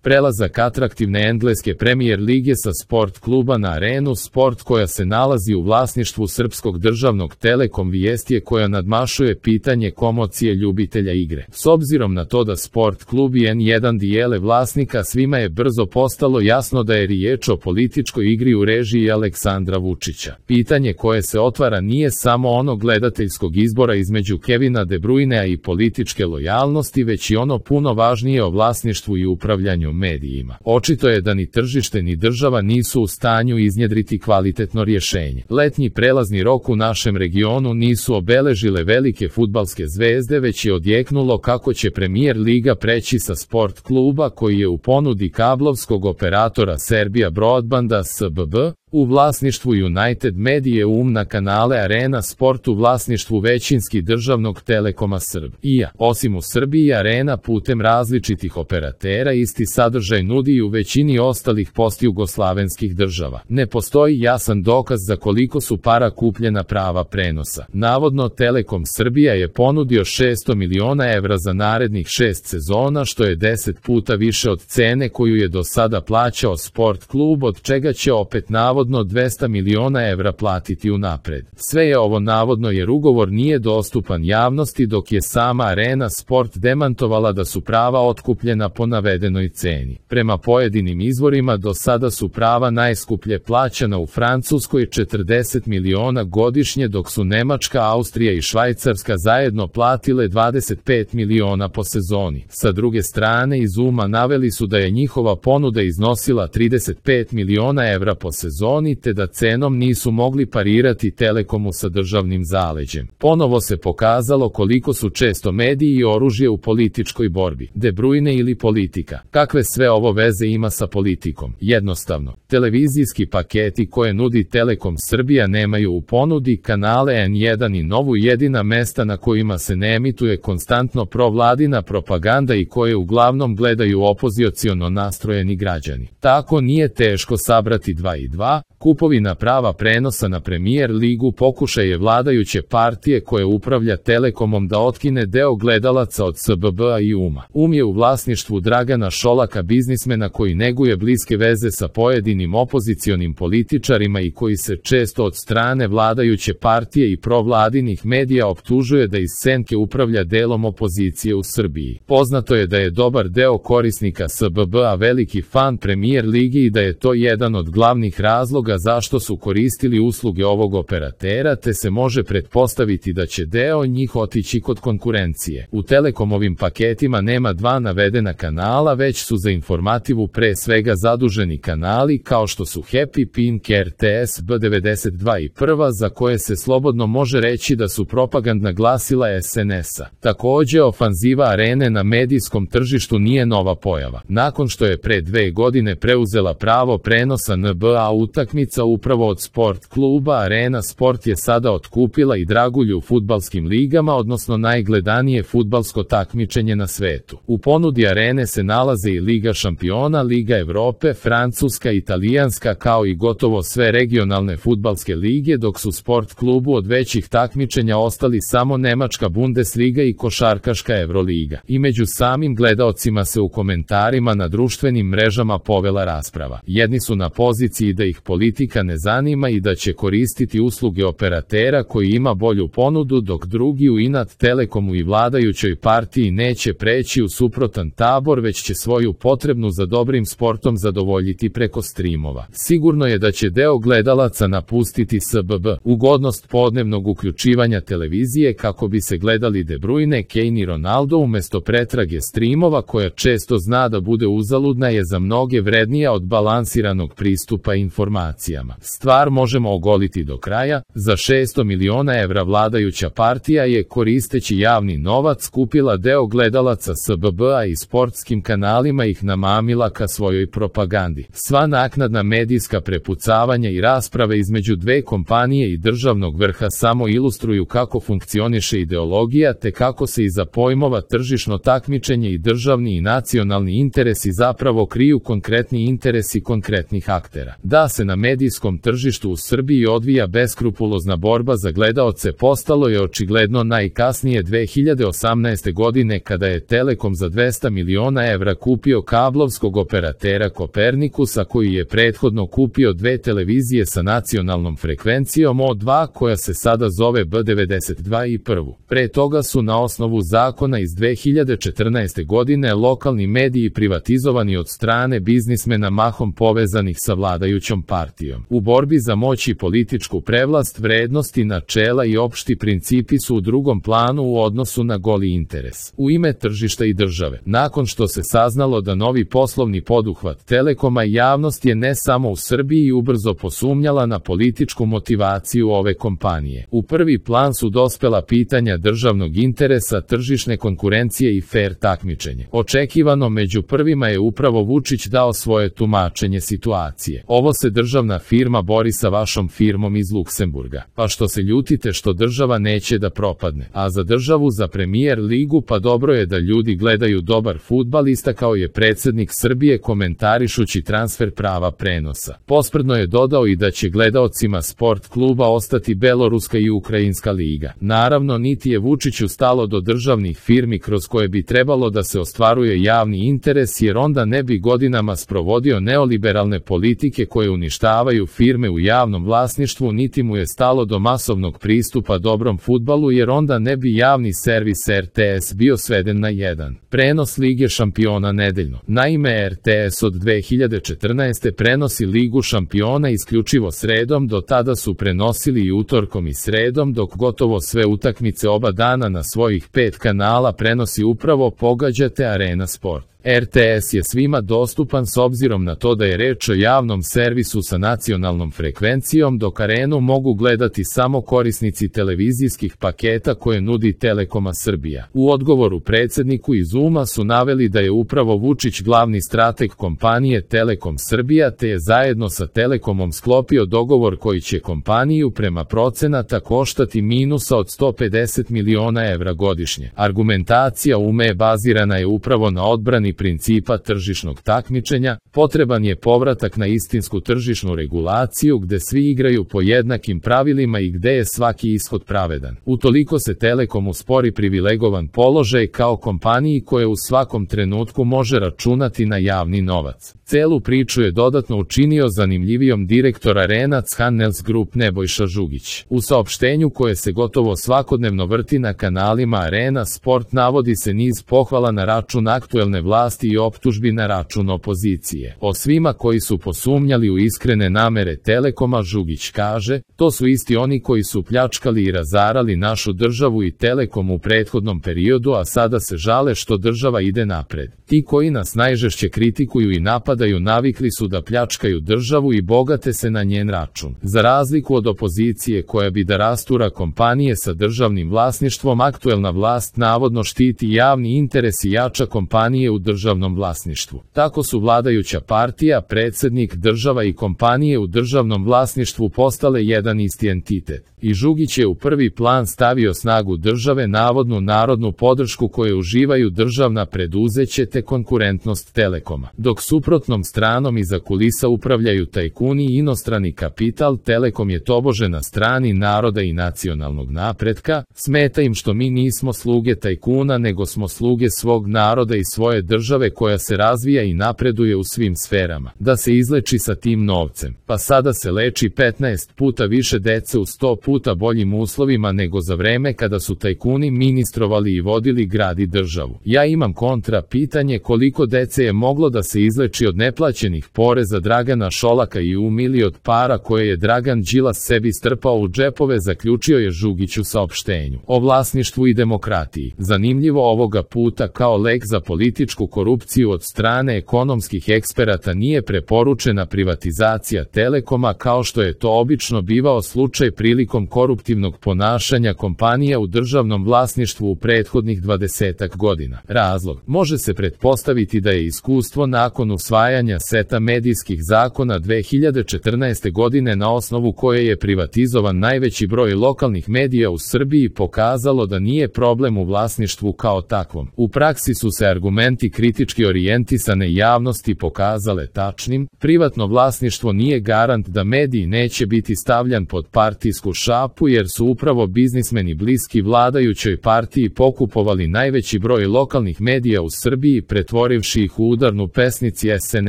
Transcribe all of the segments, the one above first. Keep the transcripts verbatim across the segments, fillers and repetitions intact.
Prelazak atraktivne engleske Premier lige sa Sport kluba na Arenu Sport koja se nalazi u vlasništvu Srpskog državnog Telekom vijest je koja nadmašuje pitanje komocije ljubitelja igre. S obzirom na to da Sport klub i en jedan dijele vlasnika, svima je brzo postalo jasno da je riječ o političkoj igri u režiji Aleksandra Vučića. Pitanje koje se otvara nije samo ono gledateljskog izbora između Kevina De Bruynea i političke lojalnosti, već i ono puno važnije o vlasništvu i upravljanju medijima. Očito je da ni tržište ni država nisu u stanju iznjedriti kvalitetno rješenje. Letnji prelazni rok u našem regionu nisu obeležile velike fudbalske zvezde, već je odjeknulo kako će Premier liga preći sa Sport kluba koji je u ponudi kablovskog operatora Serbia Broadbanda S B B, u vlasništvu United Medije um na kanale Arena Sport u vlasništvu većinski državnog Telekoma Srbija. Osim u Srbiji, Arena putem različitih operatera isti sadržaj nudi i u većini ostalih postjugoslavenskih država. Ne postoji jasan dokaz za koliko su para kupljena prava prenosa. Navodno Telekom Srbija je ponudio šesto miliona evra za narednih šest sezona, što je deset puta više od cene koju je do sada plaćao Sport klub, od čega će opet navodno dvesta miliona evra platiti unapred. Sve je ovo navodno jer ugovor nije dostupan javnosti, dok je sama Arena Sport demantovala da su prava otkupljena po navedenoj ceni. Prema pojedinim izvorima do sada su prava najskuplje plaćana u Francuskoj četrdeset miliona godišnje, dok su Nemačka, Austrija i Švajcarska zajedno platile dvadeset pet miliona po sezoni. Sa druge strane, iz uma naveli su da je njihova ponuda iznosila trideset pet miliona evra po sezoni, te da cenom nisu mogli parirati Telekomu sa državnim zaleđem. Ponovo se pokazalo koliko su često mediji i oružje u političkoj borbi. De Bruyne ili politika. Kakve sve ovo veze ima sa politikom? Jednostavno, televizijski paketi koje nudi Telekom Srbija nemaju u ponudi kanale en jedan i Novu, jedina mesta na kojima se ne emituje konstantno provladina propaganda i koje uglavnom gledaju opoziciono nastrojeni građani. Tako nije teško sabrati dva i dva. Kupovina prava prenosa na Premier ligu pokušaj je vladajuće partije koje upravlja Telekomom da otkine deo gledalaca od S B B-a i uma. Um je u vlasništvu Dragana Šolaka, biznismena koji neguje bliske veze sa pojedinim opozicionim političarima i koji se često od strane vladajuće partije i provladinih medija optužuje da iz senke upravlja delom opozicije u Srbiji. Poznato je da je dobar deo korisnika S B B-a veliki fan Premier ligi i da je to jedan od glavnih razloga zašto su koristili usluge ovog operatera, te se može pretpostaviti da će deo njih otići kod konkurencije. U Telekomovim paketima nema dva navedena kanala, već su za informativu pre svega zaduženi kanali kao što su Happy, Pink, R T S B devedeset dva i Prva, za koje se slobodno može reći da su propagandna glasila S N S-a. Takođe, ofanziva Arene na medijskom tržištu nije nova pojava. Nakon što je pre dve godine preuzela pravo prenosa N B A utakmica upravo od Sport kluba, Arena Sport je sada otkupila i dragulju u fudbalskim ligama, odnosno najgledanije fudbalsko takmičenje na svetu. U ponudi Arene se nalaze i Liga šampiona, Liga Evrope, Francuska, Italijanska, kao i gotovo sve regionalne fudbalske lige, dok su Sport klubu od većih takmičenja ostali samo Nemačka Bundesliga i košarkaška Evroliga. I među samim gledaocima se u komentarima na društvenim mrežama povela rasprava. Jedni su na poziciji da ih politika ne zanima i da će koristiti usluge operatera koji ima bolju ponudu, dok drugi u inat Telekomu i vladajućoj partiji neće preći u suprotan tabor, već će svoju potrebnu za dobrim sportom zadovoljiti preko streamova. Sigurno je da će deo gledalaca napustiti S B B. Ugodnost podnevnog uključivanja televizije kako bi se gledali De Bruyne, Kane i Ronaldo umesto pretrage streamova, koja često zna da bude uzaludna, je za mnoge vrednija od balansiranog pristupa informacijama. Stvar možemo ogoliti do kraja. Za šesto miliona evra vladajuća partija je, koristeći javni novac, kupila deo gledalaca S B B-a i sportskim kanalima ih namamila ka svojoj propagandi. Sva naknadna medijska prepucavanja i rasprave između dve kompanije i državnog vrha samo ilustruju kako funkcioniše ideologija, te kako se iza pojmova tržišno takmičenje i državni i nacionalni interesi zapravo kriju konkretni interesi konkretnih aktera. Da se na medijskom tržištu u Srbiji odvija beskrupulozna borba za gledaoce postalo je očigledno najkasnije dve hiljade osamnaeste godine kada je Telekom za dvesta miliona evra kupio kablovskog operatera Kopernikusa koji je prethodno kupio dve televizije sa nacionalnom frekvencijom O dva koja se sada zove B devedeset dva i prvu. Pre toga su na osnovu zakona iz dve hiljade četrnaeste godine lokalni mediji privatizovani od strane biznismena mahom povezanih sa vladajućom partijom. U borbi za moć i političku prevlast vrednosti, načela i opšti principi su u drugom planu u odnosu na goli interes. U ime tržišta i države, nakon što se saznalo da novi poslovni poduhvat Telekoma javnost je ne samo u Srbiji ubrzo posumnjala na političku motivaciju ove kompanije. U prvi plan su dospela pitanja državnog interesa, tržišne konkurencije i fer takmičenje. Očekivano među prvima je upravo Vučić dao svoje tumačenje situacije. Ovo se državna firma bori sa vašom firmom iz Luksemburga. Pa što se ljutite što država neće da propadne? A za državu, za Premijer ligu, pa dobro je da ljudi gledaju dobar fudbal, istakao je predsednik Srbije komentarišući transfer prava prenosa. Posprdno je dodao i da će gledaocima sport kluba ostati Beloruska i Ukrajinska liga. Naravno, niti je Vučiću stalo do državnih firmi kroz koje bi trebalo da se ostvaruje javni interes, jer onda ne bi godinama sprovodio neoliberalne politike koje uništavaju firme u javnom vlasništvu, niti mu je stalo do masovnog pristupa dobrom fudbalu, jer onda ne bi javni servis R T S bio sveden na jedan prenos Lige šampiona nedeljno. Naime, R T S od dve hiljade četrnaeste prenosi Ligu šampiona isključivo sredom, do tada su prenosili i utorkom i sredom, dok gotovo sve utakmice oba dana na svojih pet kanala prenosi upravo, pogađate, Arena Sport. R T S je svima dostupan s obzirom na to da je reč o javnom servisu sa nacionalnom frekvencijom, dok Arenu mogu gledati samo korisnici televizijskih paketa koje nudi Telekoma Srbija. U odgovoru predsedniku iz Uma su naveli da je upravo Vučić glavni strateg kompanije Telekom Srbija, te je zajedno sa Telekomom sklopio dogovor koji će kompaniju prema procenata koštati minusa od sto pedeset miliona evra godišnje. Argumentacija Ume bazirana je upravo na odbrani principa tržišnog takmičenja, potreban je povratak na istinsku tržišnu regulaciju gde svi igraju po jednakim pravilima i gde je svaki ishod pravedan. Utoliko se Telekomu spori privilegovan položaj kao kompaniji koja u svakom trenutku može računati na javni novac. Celu priču je dodatno učinio zanimljivijom direktor Arenac Handels Group Nebojša Žugić. U saopštenju koje se gotovo svakodnevno vrti na kanalima Arena Sport navodi se niz pohvala na račun aktuelne vlasti i optužbi na račun opozicije. O svima koji su posumnjali u iskrene namere Telekoma, Žugić kaže, to su isti oni koji su pljačkali i razarali našu državu i Telekom u prethodnom periodu, a sada se žale što država ide napred. Ti koji nas najžešće kritikuju i napadaju navikli su da pljačkaju državu i bogate se na njen račun. Za razliku od opozicije koja bi da rastura kompanije sa državnim vlasništvom, aktuelna vlast navodno štiti javni interes i jača kompanije u državnom vlasništvu. Tako su vladajuća partija, predsednik, država i kompanije u državnom vlasništvu postale jedan isti entitet. I Žugić je u prvi plan stavio snagu države, navodnu narodnu podršku koje uživaju državna preduzeća te konkurentnost Telekoma. Dok suprotnom stranom iza kulisa upravljaju tajkuni i inostrani kapital, Telekom je tobože na strani naroda i nacionalnog napretka. Smeta im što mi nismo sluge tajkuna, nego smo sluge svog naroda i svoje države koja se razvija i napreduje u svim sferama. Da se izleči sa tim novcem. Pa sada se leči petnaest puta više dece u sto puta boljim uslovima nego za vreme kada su tajkuni ministrovali i vodili grad i državu. Ja imam kontra pitanje, koliko dece je moglo da se izleči od neplaćenih poreza Dragana Šolaka i umili od para koje je Dragan Đilas sebi strpao u džepove, zaključio je Žugić u saopštenju. O vlasništvu i demokratiji. Zanimljivo, ovoga puta kao lek za političku korupciju od strane ekonomskih eksperata nije preporučena privatizacija Telekoma kao što je to obično bivao slučaj prilikom koruptivnog ponašanja kompanija u državnom vlasništvu u prethodnih dvadesetak godina. Razlog može se pretpostaviti da je iskustvo nakon usvajanja seta medijskih zakona dve hiljade četrnaeste godine, na osnovu koje je privatizovan najveći broj lokalnih medija u Srbiji, pokazalo da nije problem u vlasništvu kao takvom. U praksi su se argumenti kritički orijentisane javnosti pokazale tačnim, privatno vlasništvo nije garant da mediji neće biti stavljan pod partijsku šapu jer su upravo biznismeni bliski vladajućoj partiji pokupovali najveći broj lokalnih medija u Srbiji pretvorivši ih u udarnu pesnici es en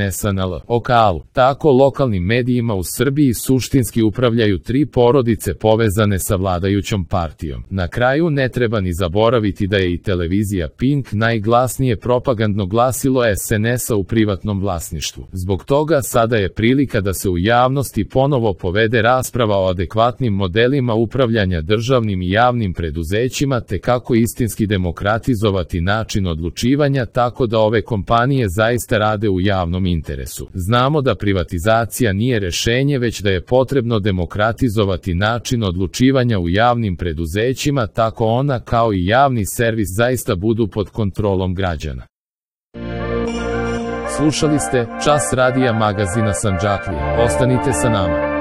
es a na lokalu. Tako lokalnim medijima u Srbiji suštinski upravljaju tri porodice povezane sa vladajućom partijom. Na kraju ne treba ni zaboraviti da je i televizija Pink najglasnije propagandno glasilo es en es a u privatnom vlasništvu. Zbog toga sada je prilika da se u javnosti ponovo povede rasprava o adekvatnim modelima upravljanja državnim i javnim preduzećima te kako istinski demokratizovati način odlučivanja tako da ove kompanije zaista rade u javnom interesu. Znamo da privatizacija nije rešenje, već da je potrebno demokratizovati način odlučivanja u javnim preduzećima tako ona kao i javni servis zaista budu pod kontrolom građana. Slušali ste Čas radija magazina Sandžaklija. Ostanite sa nama.